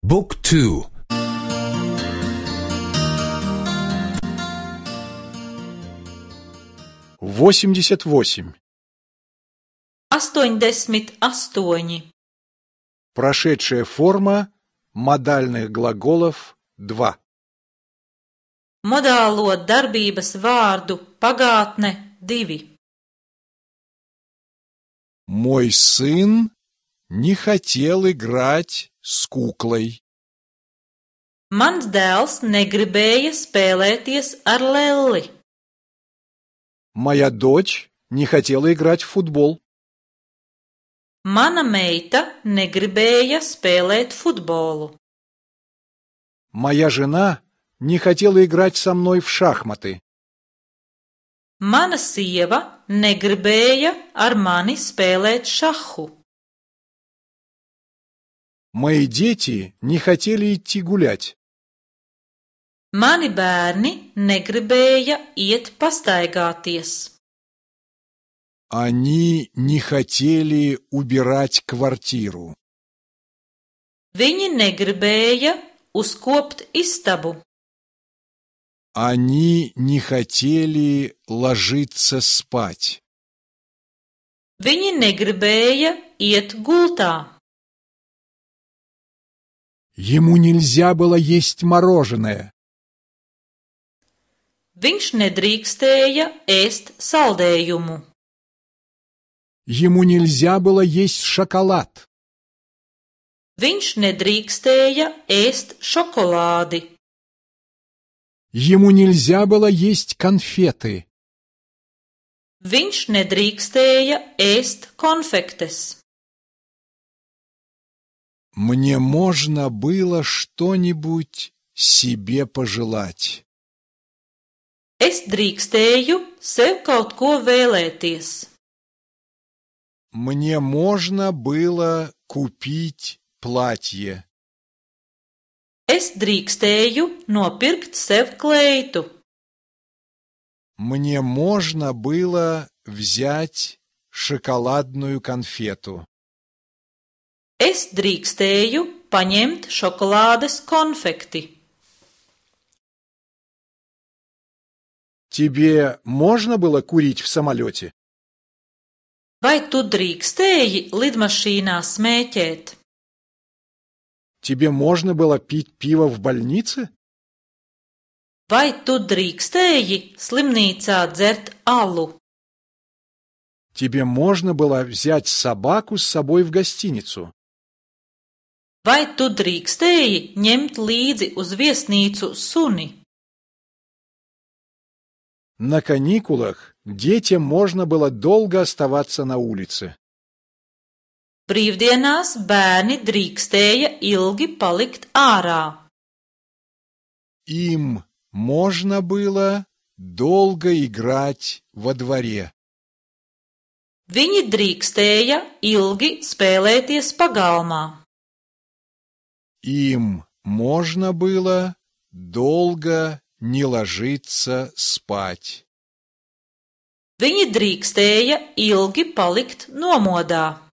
Book 2. 88. 88. Прошедшая форма модальных глаголов 2. Modālo darbības vārdu pagātne 2. Мой сын не хотел играть с куклой. Mans dēls negribēja spēlēties ar lelli. Моя дочь не хотела играть в футбол. Mana meita negribēja spēlēt futbolu. Моя жена не хотела играть со мной в шахматы. Mana sieva negribēja ar mani spēlēt šahu. Мои дети не хотели идти гулять. Mani bērni negribēja iet pastaigāties. Они не хотели убирать квартиру. Viņi negribēja uzkopt istabu. Они не хотели ложиться спать. Viņi negribēja iet gultā. Ему нельзя было есть мороженое. Viņš nedrīkstēja ēst saldējumu. Ему нельзя было есть шоколад. Viņš nedrīkstēja ēst šokolādi. Ему нельзя было есть конфеты. Viņš nedrīkstēja ēst konfektes. Мне можно было что-нибудь себе пожелать. Es drīkstēju sev kaut ko vēlēties. Мне можно было купить платье. Es drīkstēju nopirkt sev kleitu. Мне можно было взять шоколадную конфету. Es drīkstēju paņemt šokolādes konfekti. Тебе можно было курить в самолете? Vai tu drīkstēji lidmašīnā smēķēt? Тебе можно было пить пиво в больнице? Vai tu drīkstēji slimnīcā dzert alu? Тебе можно было взять собаку с собой в гостиницу? Vai tu drīkstēji ņemt līdzi uz viesnīcu suni? На каникулах детям можно было долго оставаться на улице. Brīvdienās bērni drīkstēja ilgi palikt ārā. Им можно было долго играть во дворе. Viņi drīkstēja ilgi spēlēties pagalmā. Им можно было долго не ложиться спать. Viņi drīkstēja ilgi palikt nomodā.